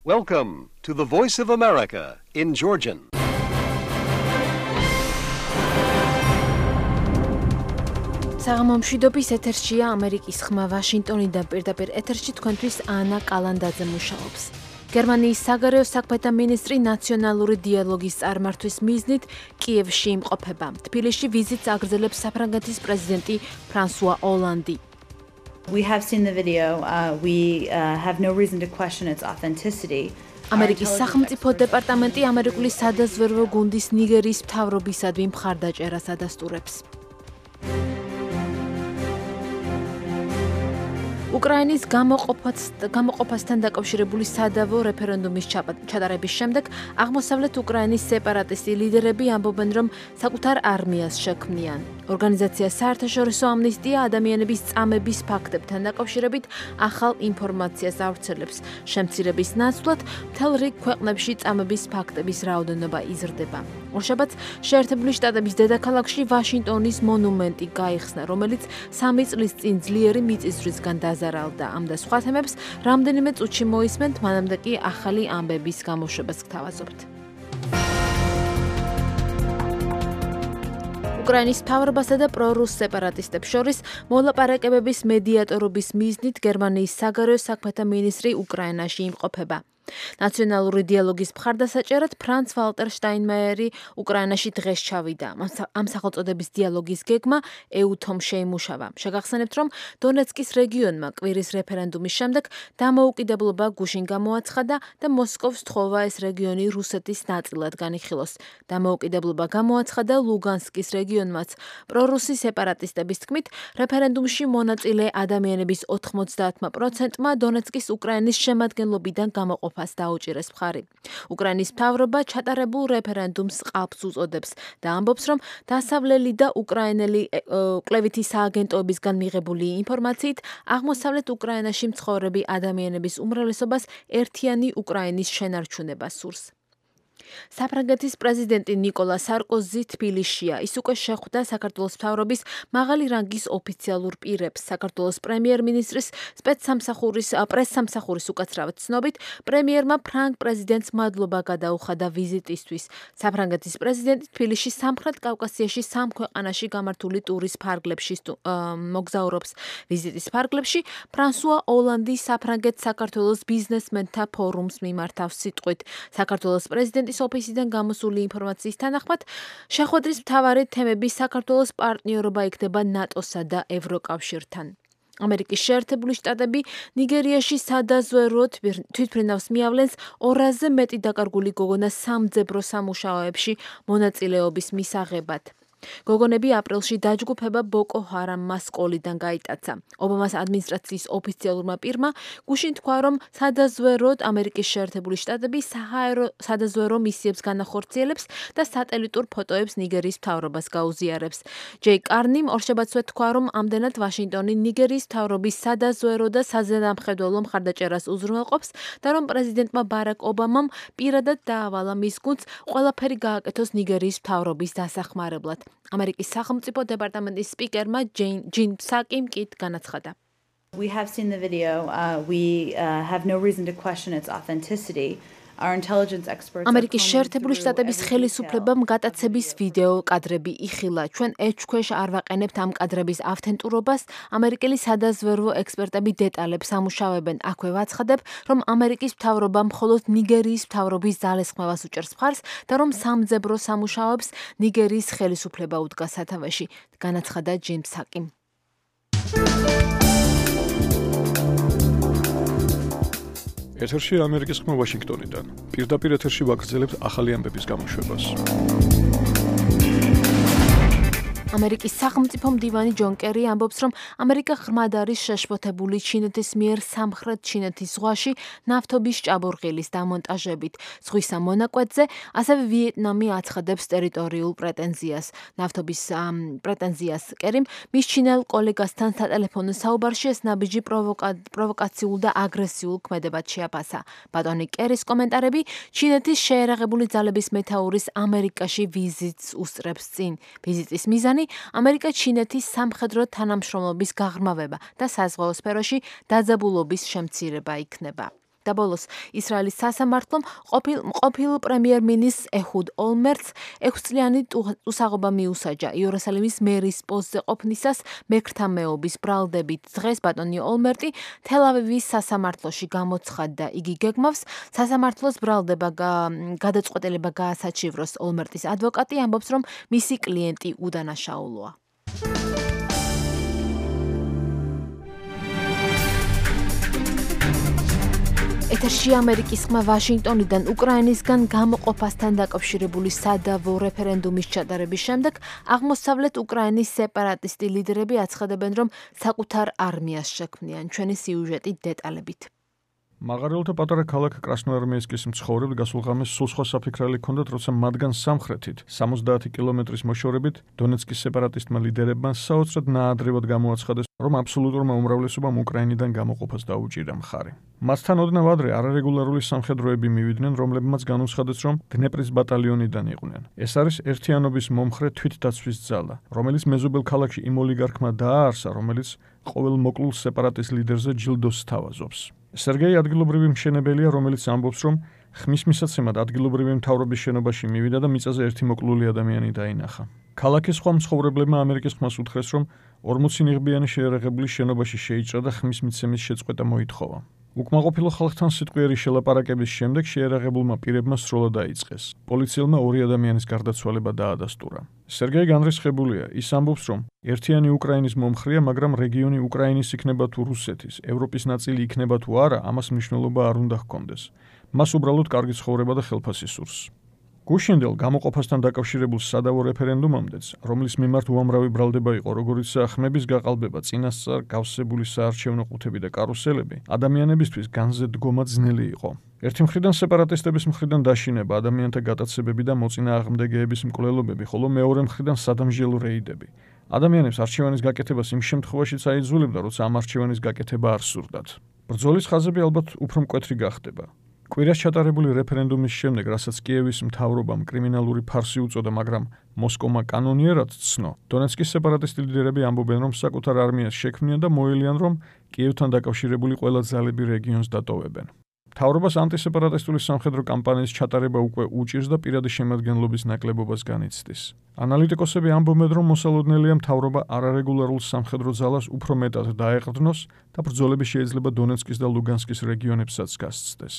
Welcome to the Voice of America in Georgian. საღამომშვიდობის ეთერშია ამერიკის ხმა ვაშინტონიდან პირდაპირ ეთერში თქვენთვის ანა კალანდაძე მუშაობს. გერმანიის საგარეო საქმეთა მინისტრი ნაციონალური დიალოგის წარმართვის მიზნით კიევში იმყოფება. თბილისში ვიზიტს აგრძელებს საფრანგეთის პრეზიდენტი ფრანსუა ოლანდი. We have seen the video. We have no reason to question its authenticity. ამერიკის სახელმწიფო დეპარტამენტი ამერიკული სადაზვერვო გუნდის ნიგერიის მთავრობისადმი მხარდაჭერას ადასტურებს. უკრაინის გამოყოფასთან დაკავშირებული სადავო რეფერენდუმის ჩატარების შემდეგ აღმოსავლეთ უკრაინის სეპარატისტი ლიდერები ამბობენ, რომ საკუთარ არმიას შექმნიან. ორგანიზაცია საერთაშორისო ამნისტია ადამიანების წამების ფაქტებთან დაკავშირებით ახალ ინფორმაციას ავრცელებს. შემცირების ნაცვლად მთელ რიგ ქვეყნებში წამების ფაქტების რაოდენობა იზრდება. ორშაბათს შეერთებული შტატების დედაქალაქში ვაშინტონის მონუმენტი გაიხსნა, რომელიც 3 წლის წინ ძლიერი მიწისძვრისგან დაზარალდა. ამ და სხვა თემებს რამდენიმე წუთში მოისმენთ, მანამდე კი ახალი ამბების გამოშვებას გთავაზობთ. უკრაინის მთავრობასა და პრორუს სეპარატისტებს შორის მოლაპარაკებების მედიატორობის მიზნით გერმანიის საგარეო საქმეთა მინისტრი უკრაინაში იმყოფება. ნაციონალური დიალოგის მხარდასაჭერად ფრანც ვალტერ შტაინმაიერი უკრაინაში დღეს ჩავიდა. ამ სახელწოდების დიალოგის გეგმა ეუთომ შეიმუშავა. შეგახსენებთ, რომ დონეცკის რეგიონმა კვირის რეფერენდუმის შემდეგ დამოუკიდებლობა გუშინ გამოაცხადა და მოსკოვს თხოვა ეს რეგიონი რუსეთის ნაწილად განიხილოს. დამოუკიდებლობა გამოაცხადა ლუგანსკის რეგიონმაც. პრორუსი სეპარატისტების თქმით, რეფერენდუმში მონაწილე ადამიანების 90%-მა დონეცკის უკრაინის შემადგენლობიდან გამოყოფა დაუჭირეს მხარი. უკრაინის მთავრობა ჩატარებულ რეფერენდუმს ყალბს უწოდებს და ამბობს, რომ დასავლელი და უკრაინელი კვლევითი სააგენტოებისგან მიღებული ინფორმაციით აღმოსავლეთ უკრაინაში მცხოვრები ადამიანების უმრავლესობას ერთიანი უკრაინის შენარჩუნება სურს. საფრანგეთის პრეზიდენტი ნიკოლა სარკოზი თბილისშია. ის უკვე შეხვდა საქართველოს მთავრობის მაღალი რანგის ოფიციალურ პირებს. საქართველოს პრემიერ-მინისტრის პრესსამსახურის უკაცრავად ცნობით, პრემიერმა ფრანგ პრეზიდენტს მადლობა გადაუხადა ვიზიტისთვის. საფრანგეთის პრეზიდენტი თბილისში სამხრეთ კავკასიაში 3 ქვეყანაში გამართული ტურის ფარგლებში მოგზაურობს. ვიზიტის ფარგლებში ფრანსუა ოლანდი საფრანგეთ-საქართველოს ბიზნესმენთა ფორუმს მიმართავს სიტყვით. საქართველოს პრეზიდენტის ოფისიდან გამოსული ინფორმაციის თანახმად, შეხვედრის მთავარი თემები საქართველოს პარტნიორობა იქნება ნატოსა და ევროკავშირთან. ამერიკის შეერთებული შტატები ნიგერიაში სადაზვერვოდ თვითმფრინავს მიავლენს 200-ზე მეტი დაკარგული გოგონა სამძებრო სამუშაოებში მონაწილეობის მისაღებად. გოგონები აპრილში დაჯგუფება ბოკო ჰარამმა სკოლიდან გაიტაცა. ობამას ადმინისტრაციის ოფიციალურმა პირმა გუშინ თქვა, რომ სადაზვერვოდ ამერიკის შეერთებული შტატები საჰაერო სადაზვერვო მისიებს განახორციელებს და სატელიტურ ფოტოებს ნიგერიის მთავრობას გაუზიარებს. ჯეი კარნიმ ორშაბათსვე თქვა, რომ ამდენად ვაშინტონი ნიგერიის მთავრობის სადაზვერვო და საზედამხედველო მხარდაჭერას უზრუნველყოფს და რომ პრეზიდენტმა ბარაკ ობამამ პირადად დაავალა მის გუნდს ყველაფერი გააკეთოს ნიგერიის მთავრობის დასახმარებლად. ამერიკის სახელმწიფო დეპარტამენტის სპიკერმა ჯინ ფსაკიმ კი განაცხადა. We have seen the video. We have no reason to question its authenticity. Our intelligence experts ამერიკის შეერთებული შტატების ხელისუფლებამ გატაცების ვიდეო კადრები იხილა. ჩვენ ეჭქვეშ არ ვაყენებთ ამ კადრების ავთენტურობას. ამერიკელი სადაზვერვო ექსპერტები დეტალებს ამუშავებენ. აქვე ვაცხადებ, რომ ამერიკის მთავრობა მხოლოდ ნიგერიის მთავრობის ძალისხმევას უჭერს მხარს და რომ სამძებრო სამუშაოებს ნიგერიის ხელისუფლება უდგას სათავეში, განაცხადა ჯინ ფსაკიმ. ეთერში ამერიკის ხმა ვაშინგტონიდან. პირდაპირ ეთერში ვაგრძელებთ ახალი ამბების გამოშვებას. ამერიკის სახელმწიფო მდივანი ჯონ კერი ამბობს, რომ ამერიკა ღრმად არის შეშფოთებული ჩინეთის მიერ სამხრეთ ჩინეთის ზღვაში ნავთობის ჭაბურღილის დამონტაჟებით. ზღვის ამ მონაკვეთზე ასევე ვიეტნამი აცხადებს ტერიტორიულ პრეტენზიას. ნავთობის პრეტენზიას კერიმ მის ჩინელ კოლეგასთან სატელეფონო საუბარში ეს ნაბიჯი პროვოკაციულ და აგრესიულ ქმედებად შეაფასა. ბატონი კერის კომენტარები ჩინეთის შეერაღებული ძალების მეთაურის ამერიკაში ვიზიტს უსწრებს წინ. ვიზიტის მიზანი ამერიკა-ჩინეთის სამხედრო თანამშრომლობის გაღრმავება და საზღვაო სფეროში დაძაბულობის შემცირება იქნება. და ბოლოს ისრაელის სასამართლომ ყოფილ პრემიერ-მინისტრს ეჰუდ ოლმერტს 6 წლიანი უსაღობა მიუსაჯა იერუსალიმის მერის პოსტზე ყოფნისას მექრთა მეობის ბრალდებით. დღეს ბატონი ოლმერტი თელ-ავივის სასამართლოში გამოცხადდა. იგი გეგმავს სასამართლოს ბრალდება გადაწყვეტილება გაასაჩივროს. ოლმერტის ადვოკატი ამბობს, რომ მისი კლიენტი უდანაშაულოა. ეთერში ამერიკის ხმა ვაშინგტონიდან უკრაინისგან გამოყოფასთან დაკავშირებული სადავო რეფერენდუმის ჩატარების შემდეგ აღმოსავლეთ უკრაინის სეპარატისტი ლიდერები აცხადებენ, რომ საკუთარ არმიას შექმნიან. ჩვენი სიუჟეტი დეტალებით. მაღარიელთა პატარა ქალაქ კრასნოარმიესკის მცხოვრებს გასულ ღამეს სულ სხვა საფიქრალი ჰქონდათ, როცა მათგან სამხრეთით 70 კილომეტრის მოშორებით დონეცკის სეპარატისტმა ლიდერებმა საოცრად ნაადრევად გამოაცხადეს, რომ აბსოლუტურმა უმრავლესობამ უკრაინიდან გამოყოფას დაუჭირა მხარი. მასთან ოდნავ ადრე არარეგულარული სამხედროები მივიდნენ, რომლებმაც განუცხადეს, რომ დნეპრის ბატალიონიდან იყვნენ. ეს არის ერთიანობის მომხრე თვითდაცვის ძალა, რომელიც მეზობელ ქალაქში იმ ოლიგარქმა დააარსა, რომელიც ყოველ მოკლულ სეპარატის ლიდერზე ჯილდოს სთავაზობს. სერგეი ადგილობრივი მშენებელია, რომელიც ამბობს, რომ ხმის მისაცემად ადგილობრივი მთავრობის შენობაში მივიდა და მიწაზე ერთი მოკლული ადამიანი დაინახა. ქალაქის სხვა მცხოვრებლებმა ამერიკის ხმას უთხრეს, რომ 40 ნიღბიანი შეიარაღებული შენობაში შეიჭრა და ხმის მიცემის შეწყვეტა მოითხოვა. უკმაყოფილო ხალხთან სიტყვიერი შელაპარაკების შემდეგ შეიარაღებულმა პირებმა სროლა დაიწყეს. პოლიციელმა 2 ადამიანის გარდაცვალება დაადასტურა. სერგეი განრისხებულია. ის ამბობს, რომ ერთიანი უკრაინის მომხრეა, მაგრამ რეგიონი უკრაინის იქნება თუ რუსეთის, ევროპის ნაწილი იქნება თუ არა, ამას მნიშვნელობა არ უნდა ჰქონდეს. მას უბრალოდ კარგი ცხოვრება და ხელფასი სურს. გუშინდელ გამოყოფასთან დაკავშირებულ სადავო რეფერენდუმამდეც, რომლის მიმართ უამრავი ბრალდება იყო, როგორიცაა ხმების გაყალბება, წინასწარ გავსებული საარჩევნო ყუთები და კარუსელები, ადამიანებისთვის განზე დგომა ძნელი იყო. ერთი მხრიდან სეპარატისტების მხრიდან დაშინება, ადამიანთა გატაცებები და მოწინააღმდეგეების მკვლელობები, ხოლო მეორე მხრიდან სადამსჯელო რეიდები. ადამიანებს არჩევანის გაკეთებას იმ შემთხვევაშიც აიძულებდა, როცა ამ არჩევანის გაკეთება არ სურდათ. ბრძოლის ხაზები ალბათ უფრო მკვეთრი გახდება. კვირას ჩატარებული რეფერენდუმის შემდეგ, რასაც კიევის მთავრობამ კრიმინალური ფარსი უწოდა, მაგრამ მოსკოვმა კანონიერად ცნო, დონეცკის სეპარატისტი ლიდერები ამბობენ, რომ საკუთარ არმიას შექმნიან და მოელიან, რომ კიევთან დაკავშირებული ყველა ძალები რეგიონს დატოვებენ. მთავრობას ანტისეპარატისტული სამხედრო კამპანიის ჩატარება უკვე უჭირს და პირადი შემადგენლობის ნაკლებობას განიცდის. ანალიტიკოსები ამბობენ, რომ მოსალოდნელია მთავრობა არარეგულარულ სამხედრო ძალას უფრო მეტად დაეყრდნოს და ბრძოლები შეიძლება დონეცკის და ლუგანსკის რეგიონებსაც გასცდეს.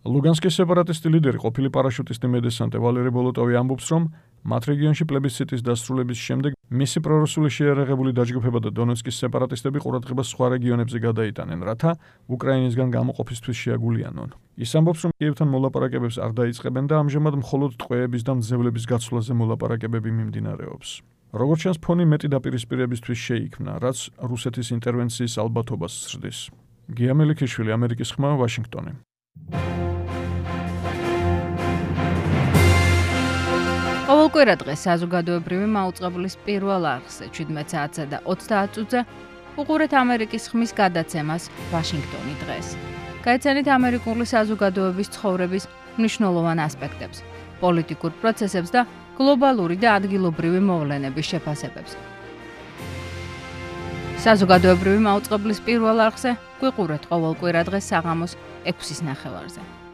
ლუგანსკის სეპარატისტი ლიდერი, ყოფილი პარაშუტისტი მედესანტე ვალერი ბოლოტოვი ამბობს, რომ მათ რეგიონში პლებისციტის დასრულების შემდეგ მისი პრორუსული შეიარაღებული დაჯგუფება და დონეცკის სეპარატისტები ყურადღებას სხვა რეგიონებზე გადაიტანენ, რათა უკრაინისგან გამოყოფისთვის შეაგულიანონ. ის ამბობს, რომ კიევთან მოლაპარაკებებს არ დაიწყებენ და ამჟამად მხოლოდ ტყვეების და მძევლების გაცვლაზე მოლაპარაკებები მიმდინარეობს. როგორც ჩანს, ფონი მეტი დაპირისპირებისთვის შეიქმნა, რაც რუსეთის ინტერვენციის ალბათობას ზრდის. გია მელიქიშვილი, ამერიკის ხმა, ვაშინგტონი. ყოველკვირა დღეს საზოგადოებრივი მაუწყებლის პირველ არხზე 17 საათსა და 30 წუთზე უყურეთ ამერიკის ხმის გადაცემას ვაშინგტონი დღეს. გაიცანით ამერიკული საზოგადოების ცხოვრების მნიშვნელოვან ასპექტებს, პოლიტიკურ პროცესებს და გლობალური და ადგილობრივი მოვლენების შეფასებებს. საზოგადოებრივი მაუწყებლის პირველ არხზე გვიყურეთ ყოველკვირა დღეს საღამოს 6:30-ზე.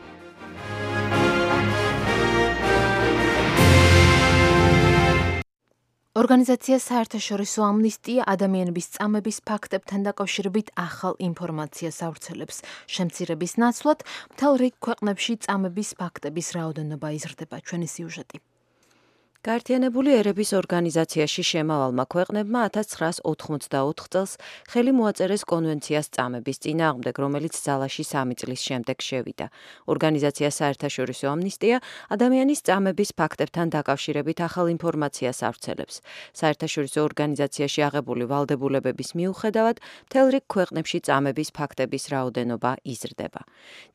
ორგანიზაცია საერთაშორისო ამნისტია ადამიანების წამების ფაქტებთან დაკავშირებით ახალ ინფორმაციას ავრცელებს. შემცირების ნაცვლად მთელ რიგ ქვეყნებში წამების ფაქტების რაოდენობა იზრდება. ჩვენი სიუჟეტი. გაერთიანებული ერების ორგანიზაციაში შემავალმა ქვეყნებმა 1984 წელს ხელი მოაწერეს კონვენციას წამების წინააღმდეგ, რომელიც ძალაში 3 წლის შემდეგ შევიდა. ორგანიზაცია საერთაშორისო ამნისტია ადამიანის წამების ფაქტებთან დაკავშირებით ახალ ინფორმაციას ავრცელებს. საერთაშორისო ორგანიზაციაში აღებული ვალდებულებების მიუხედავად, მთელ რიგ ქვეყნებში წამების ფაქტების რაოდენობა იზრდება.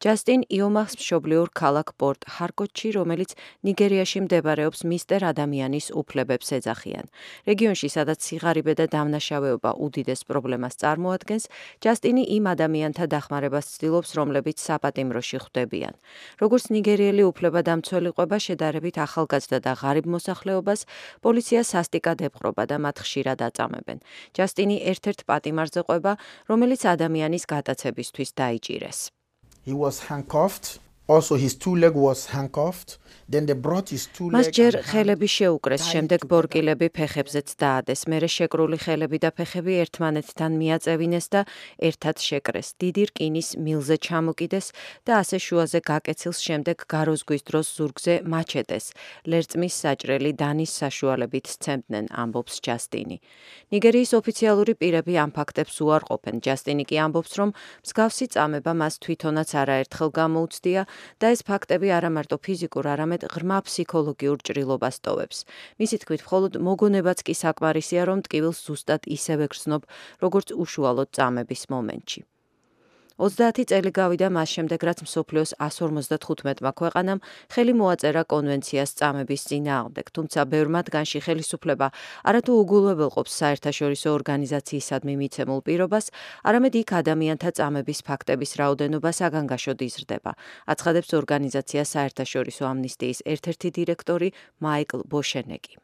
ჯასტინ იომახს მშობლიურ ქალაქ პორტ ჰარკოტში, რომელიც ნიგერიაში მდებარეობს, მისტერ ადამიანის უფლებებს ეძახიან. რეგიონში, სადაც სიღარიბე და დამნაშავეობა უდიდეს პრობლემას წარმოადგენს, ჯასტინი იმ ადამიანთა დახმარებას ცდილობს, რომლებიც საპატიმროში ხვდებიან. როგორც ნიგერიელი უფლებადამცველი ყვება შედარებით ახალგაზრდა და ღარიბ მოსახლეობას, პოლიცია სასტიკად ეპყრობა და მათ ხშირად აწამებენ. ჯასტინი ერთ-ერთ პატიმარზე ყვება, რომელიც ადამიანის გატაცებისთვის დაიჭირეს. He was handcuffed. Also his two legs was handcuffed. Then they brought his two legs. მას ჯერ ხელები შეუკრეს, შემდეგ ბორკილები ფეხებზეც დაადეს. მერე შეკრული ხელები და ფეხები ერთმანეთთან მიაწევინეს და ერთად შეკრეს. დიდი რკინის მილზე ჩამოკიდეს და ასე შუაზე გაკეცილს შემდეგ გაროზგვის დროს ზურგზე მაჩეტეს. ლერწმის საჭრელი დანის საშუალებით სცემდნენ, ამბობს ჯასტინი. ნიგერიის ოფიციალური პირები ამ ფაქტებს უარყოფენ. ჯასტინი კი ამბობს, რომ მსგავსი წამება მას თვითონაც არაერთხელ გამოუცდია და ეს ფაქტები არა მარტო ფიზიკურ, არამედ ღრმა ფსიქოლოგიურ ჭრილობას ტოვებს. მისი თქმით, მხოლოდ მოგონებაც კი საკმარისია, რომ ტკივილს ზუსტად ისევე გრძნობ, როგორც უშუალოდ წამების მომენტში. 30 წელი გავიდა მას შემდეგ, რაც მსოფლიოს 155-მა ქვეყანამ ხელი მოაწერა კონვენციას წამების წინააღმდეგ, თუმცა ბევრ მათგანში ხელისუფლება არათუ უგულებელყოფს საერთაშორისო ორგანიზაციისადმი მიცემულ პირობას, არამედ იქ ადამიანთა წამების ფაქტების რაოდენობა საგანგაშოდ იზრდება, აცხადებს ორგანიზაცია საერთაშორისო ამნისტიის ერთ-ერთი დირექტორი მაიკლ ბოშენეკი.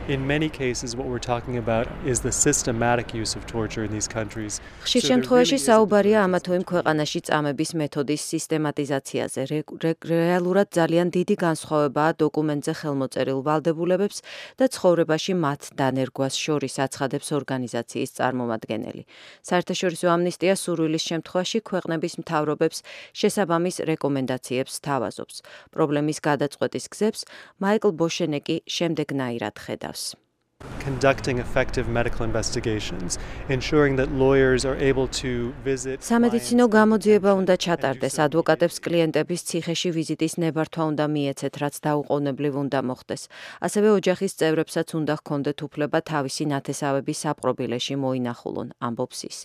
In many cases, what we're talking about is the systematic use of torture in these countries. ხშირ შემთხვევაში საუბარია ამა თუ იმ ქვეყანაში წამების მეთოდის სისტემატიზაციაზე. რეალურად ძალიან დიდი განსხვავებაა დოკუმენტზე ხელმოწერილ ვალდებულებებს და ცხოვრებაში მათ დანერგვას შორის, აცხადებს ორგანიზაციის წარმომადგენელი. საერთაშორისო ამნისტია სურვილის შემთხვევაში ქვეყნების მთავრობებს შესაბამის რეკომენდაციებს სთავაზობს. პრობლემის გადაწყვეტის გზებს მაიკლ ბოშენეკი შემდეგნაირად ხედავს. Conducting effective medical investigations, ensuring that lawyers are able to visit. სამედიცინო გამოძიება უნდა ჩატარდეს, ადვოკატებს კლიენტების ციხეში ვიზიტის ნებართვა უნდა მიეცეთ, რაც დაუყოვნებლივ უნდა მოხდეს. ასევე ოჯახის წევრებსაც უნდა ჰქონდეთ უფლება თავისი ნათესავები საპყრობილეში მოინახულონ, ამბობს ის.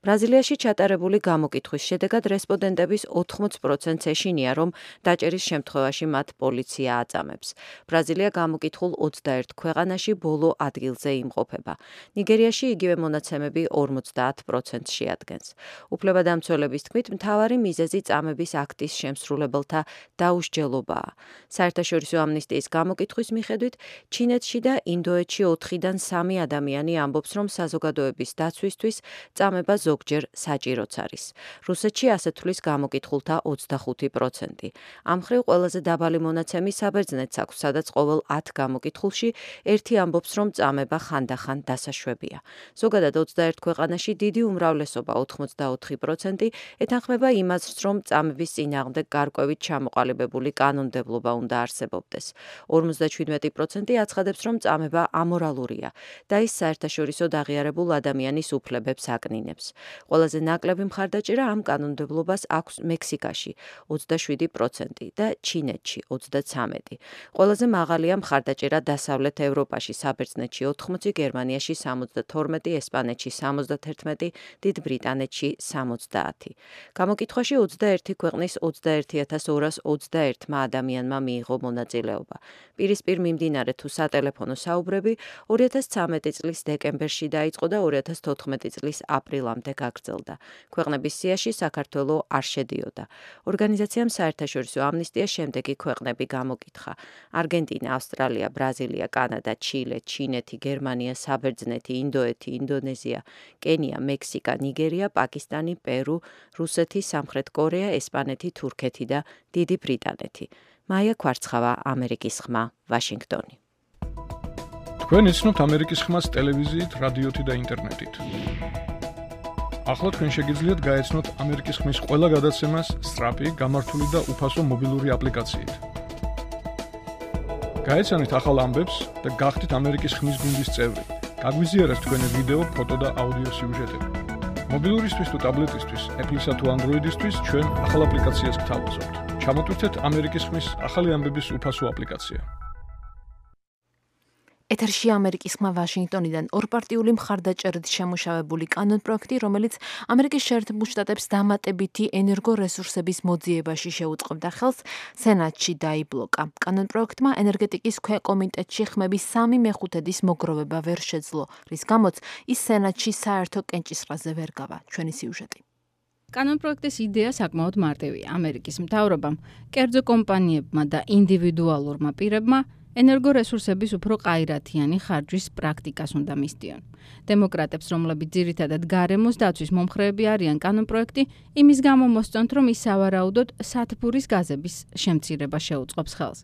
ბრაზილიაში ჩატარებული გამოკითხვის შედეგად რესპონდენტების 80%-ს ეშინია, რომ დაჭერის შემთხვევაში მათ პოლიცია აწამებს. ბრაზილია გამოკითხულ 21 ქვეყანაში ბოლო ადგილზე იმყოფება. ნიგერიაში იგივე მონაცემები 50%-ს შეადგენს. უფლებადამცველების თქმით, მთავარი მიზეზი წამების აქტის შემსრულებელთა დაუსჯელობაა. საერთაშორისო ამნისტიის გამოკითხვის მიხედვით, ჩინეთში და ინდოეთში 4-დან 3 ადამიანი ამბობს, რომ საზოგადოების დაცვისთვის წამება ზოგჯერ საჭიროც არის. რუსეთში ასე თვლის გამოკითხულთა 25%. ამ მხრივ ყველაზე დაბალი მონაცემი საბერძნეთს აქვს, სადაც ყოველ 10 გამოკითხულში ერთი ამბობს, რომ წამება ხანდახან დასაშვებია. ზოგადად 21 ქვეყანაში დიდი უმრავლესობა 84% ეთანხმება იმას, რომ წამების წინააღმდეგ გარკვევით ჩამოყალიბებული კანონმდებლობა უნდა არსებობდეს. 57% აცხადებს, რომ წამება ამორალურია და ის საერთაშორისოდ აღიარებულ ადამიანის უფლებებს აკნინებს. ყველაზე ნაკლები მხარდაჭერა ამ კანონმდებლობას აქვს მექსიკაში 27% და ჩინეთში 33%. ყველაზე მაღალია მხარდაჭერა დასავლეთ ევროპაში საბერძნეთში 80, გერმანიაში 72, ესპანეთში 71, დიდ ბრიტანეთში 70. გამოკითხვაში 21 ქვეყნის 21221 ადამიანმა მიიღო მონაწილეობა. პირისპირ მიმდინარე თუ სატელეფონო საუბრები 2013 წლის დეკემბერში დაიწყო და 2014 წლის აპრილამდე გაგრძელდა. ქვეყნების სიაში საქართველო არ შედიოდა. ორგანიზაციამ საერთაშორისო ამნისტია შემდეგი ქვეყნები გამოკითხა: არგენტინა, ავსტრალია, ბრაზილია, კანადა, ჩილე, ჩინეთი, გერმანია, საბერძნეთი, ინდოეთი, ინდონეზია, კენია, მექსიკა, ნიგერია, პაკისტანი, პერუ, რუსეთი, სამხრეთ კორეა, ესპანეთი, თურქეთი და დიდი ბრიტანეთი. მაია ქვარცხავა, ამერიკის ხმა, ვაშინგტონი. თქვენ იცნობთ ამერიკის ხმას ტელევიზიით, რადიოთი და ინტერნეტით. ახლა თქვენ შეგიძლიათ გაეცნოთ ამერიკის ხმის ყველა გადაცემას სწრაფი, გამართული და უფასო მობილური აპლიკაციით. გაეცანით ახალ ამბებს და გახდით ამერიკის ხმის გუნდის წევრი. გაგვიზიარეთ თქვენი ვიდეო, ფოტო და აუდიო სიუჟეტები. მობილურისთვის თუ ტაბლეტისთვის, Apple-სა თუ Android-ისთვის ჩვენ ახალ აპლიკაციას გთავაზობთ. ჩამოტვირთეთ ამერიკის ხმის ახალი ამბების უფასო აპლიკაცია. ეთერში ამერიკის ხმა ვაშინგტონიდან ორპარტიული მხარდაჭერით შემუშავებული კანონპროექტი, რომელიც ამერიკის შეერთებულ შტატებს დამატებითი ენერგორესურსების მოძიებაში შეუწყობდა ხელს, სენატში დაიბლოკა. კანონპროექტმა ენერგეტიკის ქვეკომიტეტში ხმების 3/5 მოგროვება ვერ შეძლო, რის გამოც ის სენატში საერთო კენჭისყრაზე ვერ გავა. ჩვენი სიუჟეტი. კანონპროექტის იდეა საკმაოდ მარტივია. ამერიკის მთავრობამ, კერძო კომპანიებმა და ინდივიდუალურმა პირებმა ენერგორესურსების უფრო ყაირათიანი ხარჯვის პრაქტიკას უნდა მისდიონ. დემოკრატებს, რომლებიც ძირითადად გარემოს დაცვის მომხრეები არიან, კანონპროექტი იმის გამო მოსწონთ, რომ ის სავარაუდოდ სათბურის გაზების შემცირება შეუწყობს ხელს.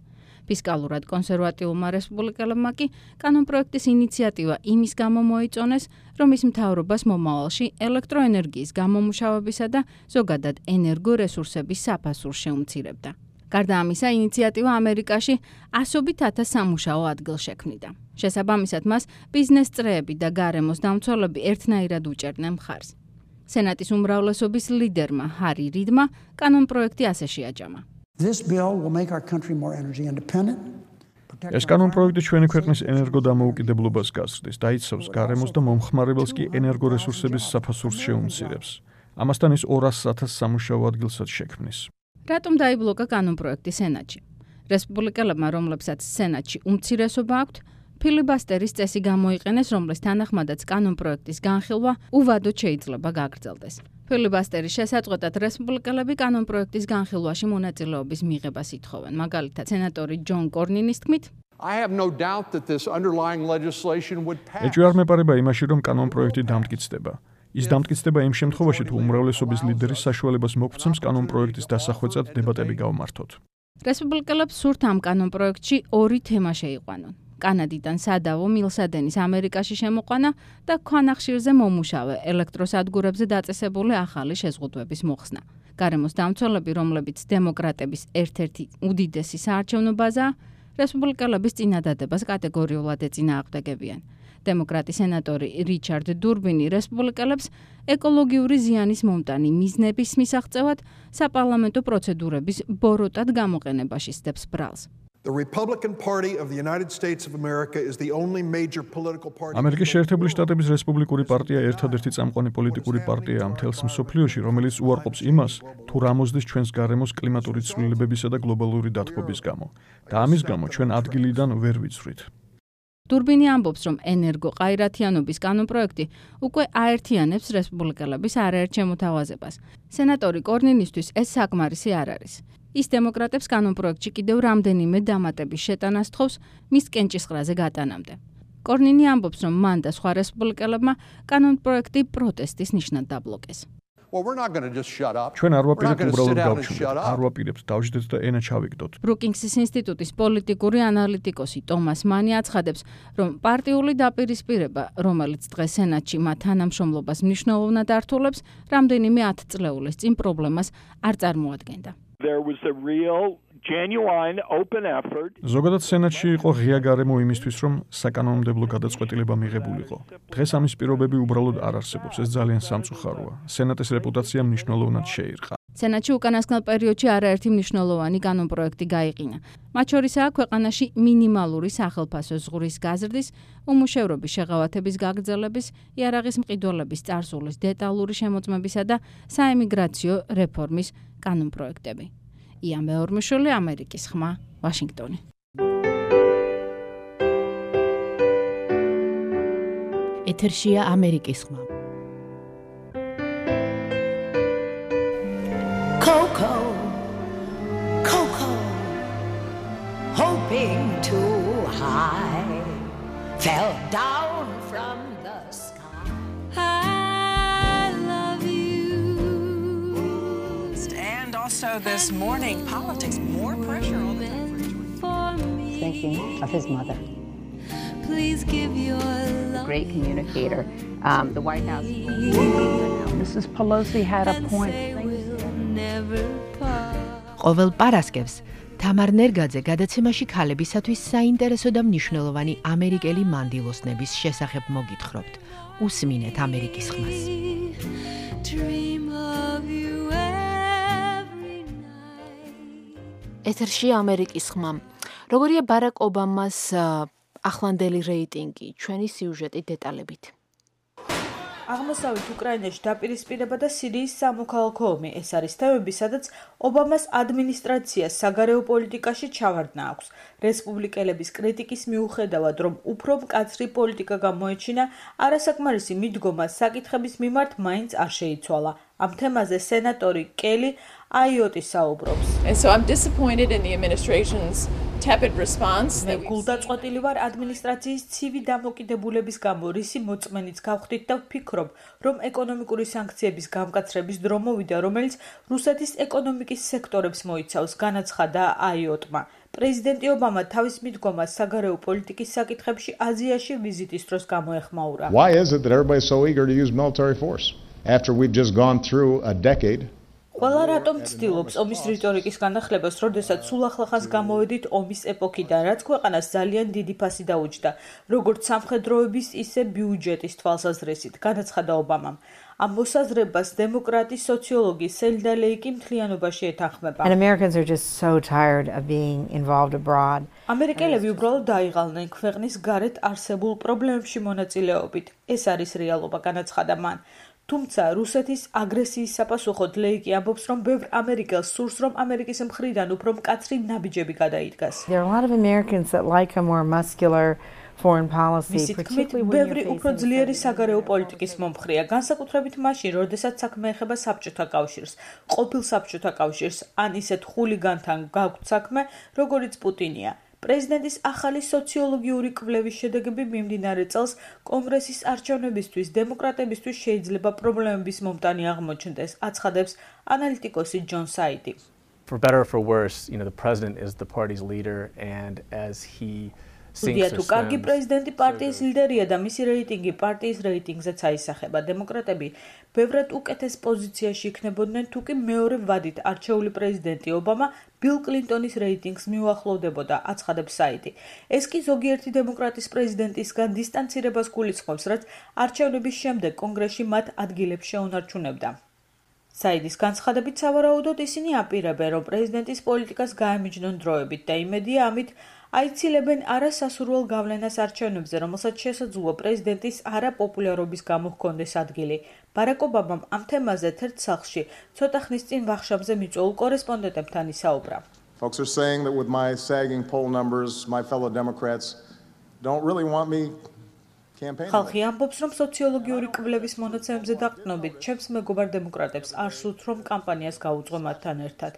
ფისკალურად კონსერვატიულმა რესპუბლიკელებმა კი კანონპროექტის ინიციატივა იმის გამო მოიწონეს, რომ ის მთავრობას მომავალში ელექტროენერგიის გამომუშავებისა და ზოგადად ენერგორესურსების საფასურს შეუმცირებდა. გარდა ამისა, ინიციატივა ამერიკაში ასობით ათას სამუშაო ადგილს შექმნიდა. შესაბამისად, მას ბიზნეს წრეები და გარემოს დამცველები ერთნაირად უჭერდნენ მხარს. სენატის უმრავლესობის ლიდერმა ჰარი რიდმა კანონპროექტი ასე შეაჯამა. This bill will make our country more energy independent. ეს კანონპროექტი ჩვენი ქვეყნის ენერგოდამოუკიდებლობას გაზრდის, დაიცავს გარემოს და მომხმარებელს კი ენერგორესურსების საფასურს შეუმცირებს. ამასთან ის 200,000 სამუშაო ადგილსაც შექმნის. რატომ დაიბლოკა კანონპროექტი სენატში? რესპუბლიკელებმა, რომლებსაც სენატში უმცირესობა აქვთ, ფილიბასტერის წესი გამოიყენეს, რომლის თანახმადაც კანონპროექტის განხილვა უვადოდ შეიძლება გაგრძელდეს. ფილიბასტერის შესაწყვეტად რესპუბლიკელები კანონპროექტის განხილვაში მონაწილეობის მიღებას ითხოვენ. მაგალითად, სენატორი ჯონ კორნინის თქმით, ეჭვი არ მეპარება იმაში, რომ კანონპროექტი დამტკიცდება. ის დამტკიცდება იმ შემთხვევაში, თუ უმრავლესობის ლიდერი საშუალებას მოგცემს კანონპროექტის დასახვეწად დებატები გავმართოთ. რესპუბლიკელებს სურთ ამ კანონპროექტში ორი თემა შეიყვანონ. კანადიდან სადავო მილსადენის ამერიკაში შემოყვანა და ქვანახშირზე მომუშავე ელექტროსადგურებზე დაწესებული ახალი შეზღუდვების მოხსნა. გარემოს დამცველები, რომლებიც დემოკრატების ერთ-ერთი უდიდესი საარჩევნო ბაზაა, რესპუბლიკელების წინადადებას კატეგორიულად ეწინააღმდეგებიან. დემოკრატი სენატორი რიჩარდ დურბინი რესპუბლიკელებს ეკოლოგიური ზიანის მომტანი მიზნების მისაღწევად საპარლამენტო პროცედურების ბოროტად გამოყენებაში სდებს ბრალს. ამერიკის შეერთებული შტატების რესპუბლიკური პარტია ერთადერთი წამყვანი პოლიტიკური პარტიაა მთელს მსოფლიოში, რომელიც უარყოფს იმას, თუ რა მოსდის ჩვენს გარემოს კლიმატური ცვლილებებისა და გლობალური დათბობის გამო. და ამის გამო ჩვენ ადგილიდან ვერ ვიცვლით. დურბინი ამბობს, რომ ენერგოყაირათიანობის კანონპროექტი უკვე აერთიანებს რესპუბლიკელების არაერთ შემოთავაზებას. სენატორი კორნინისთვის ეს საკმარისი არ არის. ის დემოკრატებს კანონპროექტში კიდევ რამდენიმე დამატების შეტანას თხოვს მის კენჭისყრაზე გატანამდე. კორნინი ამბობს, რომ მან და სხვა რესპუბლიკელებმა კანონპროექტი პროტესტის ნიშნად დაბლოკეს. ჩვენ არ ვაპირებთ უბრალოდ გავჩვენოთ, არ ვაპირებთ დავждეთ და ენა ჩავიგდოთ. ბრუკინგსის ინსტიტუტის პოლიტიკური ანალიტიკოსი ტომას მანი აცხადებს, რომ პარტიული დაპირისპირება, რომელიც დღეს სენატში მათ თანამშრომლობას მნიშვნელოვნად ართულებს, რამდენიმე ათწლეულის წინ პრობლემას არ წარმოადგენდა. ზოგადად სენატში იყო ღია გარემო იმისთვის, რომ საკანონმდებლო გადაწყვეტილება მიღებულიყო. დღეს ამის პირობები უბრალოდ არ არსებობს, ეს ძალიან სამწუხაროა. სენატის რეპუტაცია მნიშვნელოვნად შეირყა. სენატში უკანასკნელ პერიოდში არაერთი მნიშვნელოვანი კანონპროექტი გაიყინა. მათ შორისაა ქვეყანაში მინიმალური სახელფასო ზღურის გაზრდის, უმუშევრობის შეღავათების გაგრძელების, იარაღის მყიდველების წარსულის დეტალური შემოწმებისა და საემიგრაციო რეფორმის კანონპროექტები. ია მეორმუშვილი, ამერიკის ხმა, ვაშინგტონი. ეთერშია ამერიკის ხმა. Coco, Coco, hoping too high, fell down from the sky. I love you. And also this morning, politics, more pressure on the thinking of his mother. Please give your love. Great communicator. The White House. Mrs. Pelosi had a point. ყოველ პარასკევს თამარ ნერგაძე გადაცემაში ქალებისათვის საინტერესო და მნიშვნელოვანი ამერიკელი მანდილოსნების შესახებ მოგითხრობთ. უსმინეთ ამერიკის ხმას. ეთერში ამერიკის ხმა. როგორია ბარაკ ობამას ახლანდელი რეიტინგი? ჩვენი სიუჟეტი დეტალებით. აღმოსავლეთ უკრაინაში დაპირისპირება და სირიის სამოქალაქო ომი ეს არის თემები, სადაც ობამას ადმინისტრაციას საგარეო პოლიტიკაში ჩავარდნა აქვს. რესპუბლიკელების კრიტიკის მიუხედავად, რომ უფრო მკაცრი პოლიტიკა გამოეჩინა, არასაკმარისი მიდგომა საკითხების მიმართ მაინც არ შეიცვალა. ამ თემაზე სენატორი კელი აიოტი საუბრობს. And so I'm disappointed in the administration's tepid response. გულდაწყვეტილი ვარ ადმინისტრაციის ცივი დამოკიდებულების გამო, რისი მოწმენიც გავხდით და ვფიქრობ, რომ ეკონომიკური სანქციების გამკაცრების დრო მოვიდა, რომელიც რუსეთის ეკონომიკის სექტორებს მოიცავს, განაცხადა აიოტმა. პრეზიდენტი ობამა თავის მიდგომას საგარეო პოლიტიკის საკითხებში აზიაში ვიზიტის დროს გამოეხმაურა. Why is it that everybody's so eager to use military force after we've just gone through a decade? ყველა რატომ ცდილობს ომის რიტორიკის განახლებას, როდესაც სულ ახლახანს გამოვედით ომის ეპოქიდან, რაც ქვეყანას ძალიან დიდი ფასი დაუჯდა, როგორც სამხედროების, ისე ბიუჯეტის თვალსაზრისით, განაცხადა ობამამ. ამ მოსაზრებას დემოკრატი სოციოლოგი სელდა ლეიკი მთლიანობაში ეთანხმება. And Americans are just so tired of being involved abroad. ამერიკელები უბრალოდ დაიღალნენ ქვეყნის გარეთ არსებულ პრობლემებში მონაწილეობით. ეს არის რეალობა, განაცხადა მან. თუმცა რუსეთის აგრესიის საპასუხოდ ლეიკი ამბობს, რომ ბევრ ამერიკელს სურს, რომ ამერიკის მხრიდან უფრო მკაცრი ნაბიჯები გადაიდგას. There are a lot of Americans that like a more muscular foreign policy, particularly when ბევრი უფრო ძლიერი საგარეო პოლიტიკის მომხრეა, განსაკუთრებით მაშინ, როდესაც საქმე ეხება საბჭოთა კავშირს, ყოფილ საბჭოთა კავშირს, ან ისეთ ხულიგანთან გაქვთ საქმე, როგორიც პუტინია. პრეზიდენტის ახალი სოციოლოგიური კვლევის შედეგები მიმდინარე წელს კონგრესის არჩევნებისთვის დემოკრატებისთვის შეიძლება პრობლემების მომტანი აღმოჩნდეს, აცხადებს ანალიტიკოსი ჯონ საიდი. For better or for worse, the president is the party's leader, and as he თუ კარგი პრეზიდენტი პარტიის ლიდერია და მისი რეიტინგი პარტიის რეიტინგზეც აისახება, დემოკრატები ბევრად უკეთეს პოზიციაში იქნებოდნენ, თუ კი მეორე ვადით არჩეული პრეზიდენტი ობამა ბილ კლინტონის რეიტინგს მიუახლოვდებოდა, აცხადებს საიდი. ეს კი ზოგიერთი დემოკრატის პრეზიდენტისგან დისტანცირებას გულისხმობს, რაც არჩევნების შემდეგ კონგრესში მათ ადგილებს შეუნარჩუნებდა. საიდის განცხადებით, სავარაუდოდ ისინი აპირებენ, რომ პრეზიდენტის პოლიტიკას გაემიჯნონ დროებით და იმედია ამით აიცილებენ არასასურველ გავლენას არჩევნებზე, რომელსაც შესაძლოა პრეზიდენტის არაპოპულარობის გამო ჰქონდეს ადგილი. ბარაკ ობამამ ამ თემაზე ერთ სახლში ცოტა ხნის წინ ვახშამზე მიწვეულ კორესპონდენტებთან ისაუბრა. Folks are saying that with my sagging poll numbers, my fellow Democrats don't really want me campaigning. ხალხი ამბობს, რომ სოციოლოგიური კვლევის მონაცემებზე დაყრდნობით, ჩემს მეგობარ დემოკრატებს არ სურთ, რომ კამპანიას გაუწყო მათთან ერთად.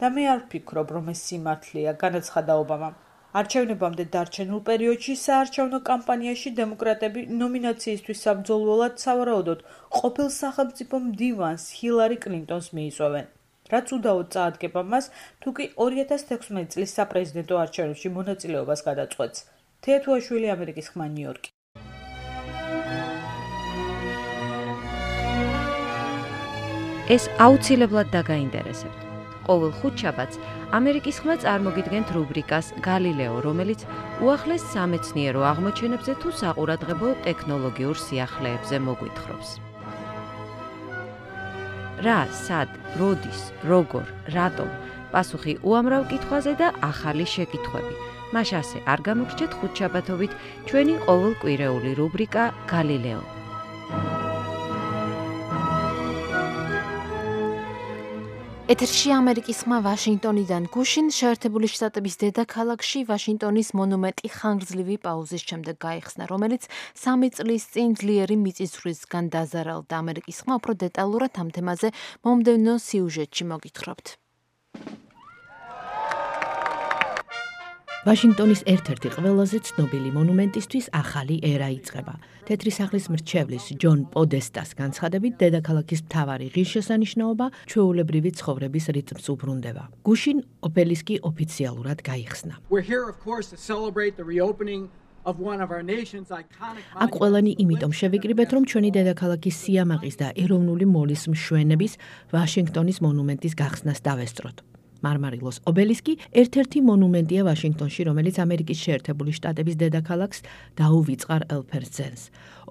და მე არ ვფიქრობ, რომ ეს სიმართლეა, განაცხადა ობამამ. არჩევნებამდე დარჩენილ პერიოდში საარჩევნო კამპანიაში დემოკრატები ნომინაციისთვის საბრძოლველად სავარაუდოდ ყოფილ სახელმწიფო მდივანს ჰილარი კლინტონს მიიწვევენ. რაც უდაოდ წაადგება მას, თუ კი 2016 წლის საპრეზიდენტო არჩევნებში მონაწილეობას გადაწყვეტს. თეათუაშვილი, ამერიკის ხმა, ნიუ-იორკი. ეს აუცილებლად დაგაინტერესებთ. ყოველ ხუთშაბათს ამერიკის ხმა წარმოგიდგენთ რუბრიკას გალილეო, რომელიც უახლეს სამეცნიერო აღმოჩენებზე თუ საყურადღებო ტექნოლოგიურ სიახლეებზე მოგვითხრობს. რა, სად, როდის, როგორ, რატომ, პასუხი უამრავ კითხვაზე და ახალი შეკითხვები. მას ასე არ გამოგრჩეთ ხუთშაბათობით ჩვენი ყოველკვირეული რუბრიკა გალილეო. ეთერში ამერიკის ხმა ვაშინგტონიდან. გუშინ შეერთებული შტატების დედაქალაქში ვაშინგტონის მონუმენტი ხანგრძლივი პაუზის შემდეგ გაიხსნა, რომელიც 3 წლის წინ ძლიერი მიწისძვრისგან დაზარალდა. ამერიკის ხმა უფრო დეტალურად ამ თემაზე მომდევნო სიუჟეტში მოგითხრობთ. ვაშინგტონის ერთ-ერთი ყველაზე ცნობილი მონუმენტისთვის ახალი ერა იწყება. თეთრი სახლის მრჩევლის ჯონ პოდესტას განცხადებით, დედაქალაქის მთავარი ღირსშესანიშნაობა ჩვეულებრივი ცხოვრების რიტმს უბრუნდება. გუშინ ობელისკი ოფიციალურად გაიხსნა. აქ ყველანი იმიტომ შევიკრიბეთ, რომ ჩვენი დედაქალაქის სიამაყის და ეროვნული მოლის მშვენების ვაშინგტონის მონუმენტის გახსნას დავესწროთ. მარმარილოს ობელისკი ერთ-ერთი მონუმენტია ვაშინგტონში, რომელიც ამერიკის შეერთებული შტატების დედაქალაქს დაუვიწყარ ელფერცენს.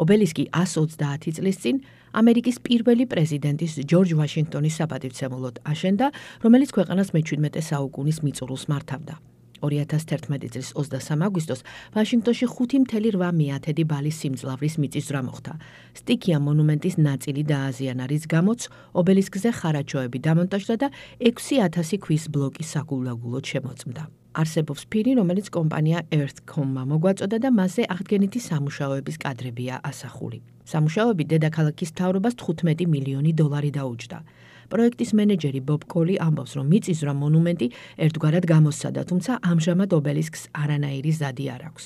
ობელისკი 130 წლის წინ ამერიკის პირველი პრეზიდენტის ჯორჯ ვაშინგტონის საპატივცემულოდ აშენდა, რომელიც ქვეყანას მე-17 საუკუნის მიწურულს მართავდა. 2011 წლის 23 აგვისტოს ვაშინგტონში 5.8 ბალის სიმძლავრის მიწისძვრა მოხდა. სტიქია მონუმენტის ნაწილი დააზიანა, რის გამოც ობელისკზე ხარაჯოები დამონტაჟდა და 6,000 ქვის ბლოკი საგულაგულოდ შემოწმდა. არსებობს ფირი, რომელიც კომპანია Earthcom-მა მოგვაწოდა და მასზე აღდგენითი სამუშაოების კადრებია ასახული. სამუშაოები დედაქალაქის მთავრობას $15 მილიონი დაუჯდა. პროექტის მენეჯერი ბობ კოლი ამბობს, რომ მიწისძვრა მონუმენტი ერთგვარად გამოსცადა, თუმცა ამჟამად ობელისკს არანაირი ზადი არ აქვს.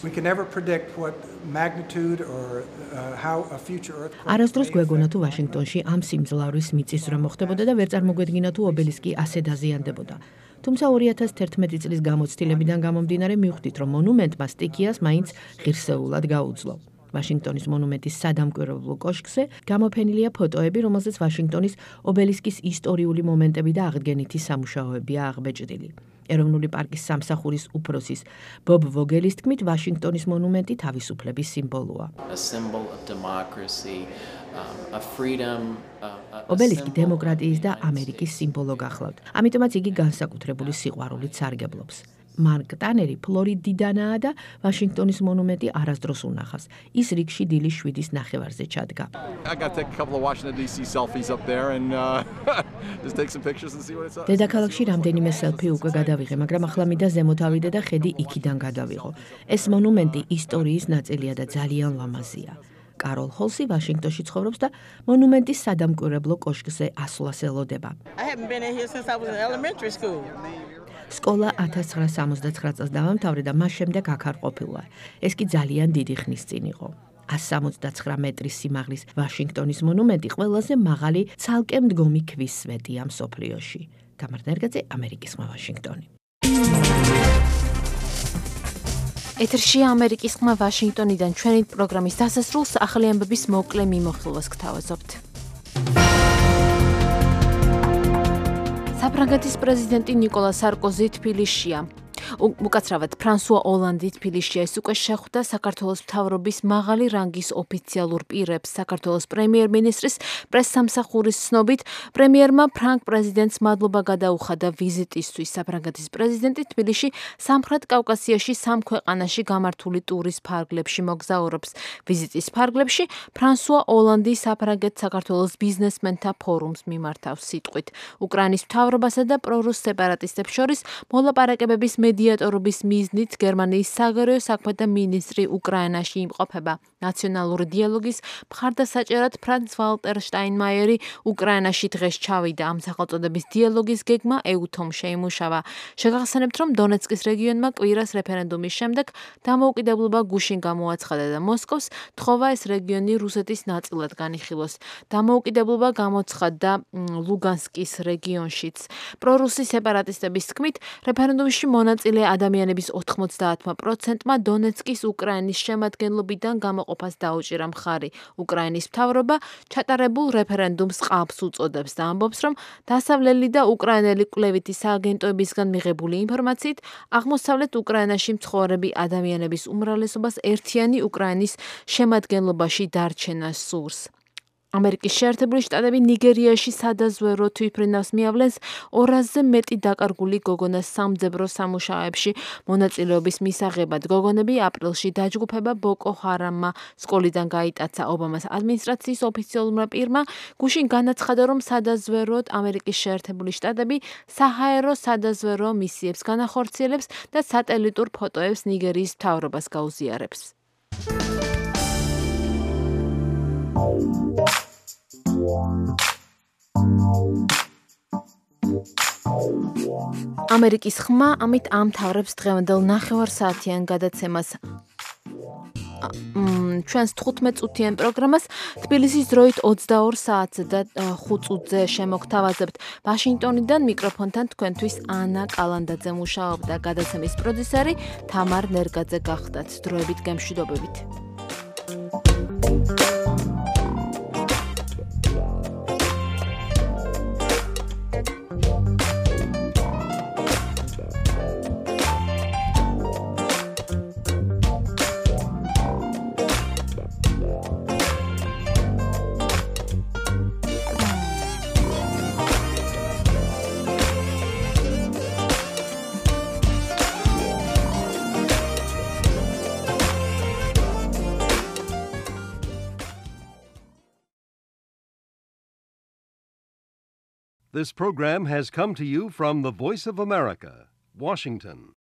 არასდროს გვეგონა თუ ვაშინგტონში ამ სიმძლავრის მიწისძვრა მოხდებოდა და ვერ წარმოგვედგინა თუ ობელისკი ასე დაზიანდებოდა. თუმცა 2011 წლის გამოცდილებიდან გამომდინარე მივხვდით, რომ მონუმენტმა სტიქიას მაინც ღირსეულად გაუძლო. ვაშინგტონის მონუმენტის სადამკვირვებლო კოშკზე გამოფენილია ფოტოები, რომელზეც ვაშინგტონის ობელისკის ისტორიული მომენტები და აღდგენითი სამუშაოებია აღბეჭდილი. ეროვნული პარკის სამსახურის უფროსის ბობ ვოგელის თქმით, ვაშინგტონის მონუმენტი თავისუფლების სიმბოლოა. ობელისკი დემოკრატიის და ამერიკის სიმბოლო გახლავთ. ამიტომაც იგი განსაკუთრებული სიყვარულით სარგებლობს. მარკ ტანერი ფლორიდიდანაა და ვაშინგტონის მონუმენტი არასდროს უნახავს. ის რიგში დილის 7-ის ნახევარზე ჩადგა. დედაქალაქში რამდენიმე სელფი უკვე გადავიღე, მაგრამ ახლა მინდა ზემოთ ავიდე და ხედი იქიდან გადავიღო. ეს მონუმენტი ისტორიის ნაწილია და ძალიან ლამაზია. კაროლ ჰოლსი ვაშინგტონში ცხოვრობს და მონუმენტის სადამკვირვებლო კოშკზე ასვლას ელოდება. სკოლა 1969 წელს დავამთავრე და მას შემდეგ აქ არ ყოფილა. ეს კი ძალიან დიდი ხნის წინ იყო. 179 მეტრის სიმაღლის ვაშინგტონის მონუმენტი ყველაზე მაღალი ცალკე მდგომი ქვის სვეტია მსოფლიოში. თამარ ნერგაძე, ამერიკის ხმა, ვაშინგტონი. ეთერში ამერიკის ხმა ვაშინგტონიდან ჩვენი პროგრამის დასასრულს ახალი ამბების მოკლე მიმოხილვას გთავაზობთ. საფრანგეთის პრეზიდენტი ნიკოლა სარკოზი თბილისშია. უკაცრავად ფრანსუა ოლანდი თბილისში ეს უკვე შეხვდა საქართველოს მთავრობის მაღალი რანგის ოფიციალურ პირებს. საქართველოს პრემიერ-მინისტრის პრესსამსახურის ცნობით, პრემიერმა ფრანგ პრეზიდენტს მადლობა გადაუხადა ვიზიტისთვის. საფრანგეთის პრეზიდენტი თბილისში სამხრეთ კავკასიაში 3 ქვეყანაში გამართული ტურის ფარგლებში მოგზაურობს. ვიზიტის ფარგლებში ფრანსუა ოლანდი საფრანგეთ-საქართველოს ბიზნესმენთა ფორუმს მიმართავს სიტყვით. უკრაინის მთავრობასა და პრორუს სეპარატისტებს შორის მოლაპარაკებების მედიატორობის მიზნით გერმანიის საგარეო საქმეთა მინისტრი უკრაინაში იმყოფება. ნაციონალური დიალოგის მხარდასაჭერად ფრანც ვალტერ შტაინმაიერი უკრაინაში დღეს ჩავიდა. ამ სახელწოდების დიალოგის გეგმა ეუთომ შეიმუშავა. შეგახსენებთ, რომ დონეცკის რეგიონმა კვირას რეფერენდუმის შემდეგ დამოუკიდებლობა გუშინ გამოაცხადა და მოსკოვს თხოვა ეს რეგიონი რუსეთის ნაწილად განიხილოს. დამოუკიდებლობა გამოცხადდა ლუგანსკის რეგიონშიც. პრორუსი სეპარატისტების თქმით, რეფერენდუმში მონაწილე ადამიანების 90%-მა დონეცკის უკრაინის შემადგენლობიდან გამოყოფას დაუჭირა მხარი. უკრაინის მთავრობა ჩატარებულ რეფერენდუმს ყალბს უწოდებს და ამბობს, რომ დასავლელი და უკრაინელი კვლევითი სააგენტოებისგან მიღებული ინფორმაციით, აღმოსავლეთ უკრაინაში მცხოვრები ადამიანების უმრავლესობას ერთიანი უკრაინის შემადგენლობაში დარჩენას სურს. ამერიკის შეერთებული შტატები ნიგერიაში სადაზვერო თვითმფრინავს მიავლენს 200-ზე მეტი დაკარგული გოგონას სამძებრო სამუშაოებში მონაწილეობის მისაღებად. გოგონები აპრილში დაჯგუფება ბოკო ჰარამმა სკოლიდან გაიტაცა. ობამას ადმინისტრაციის ოფიციალურმა პირმა გუშინ განაცხადა, რომ სადაზვეროდ ამერიკის შეერთებული შტატები საჰაერო სადაზვერო მისიებს განახორციელებს და სატელიტურ ფოტოებს ნიგერიის მთავრობას გაუზიარებს. ამერიკის ხმა ამით ამთავრებს დღევანდელ ნახევარსაათიან გადაცემას. ჩვენს 15 წუთიან პროგრამას თბილისის დროით 22 საათზე და 5 წუთზე შემოგთავაზებთ. ვაშინგტონიდან მიკროფონთან თქვენთვის ანა კალანდაძე მუშაობდა. გადაცემის პროდიუსერი თამარ ნერგაძე გახდათ. დროებით გემშვიდობებით. This program has come to you from the Voice of America, Washington.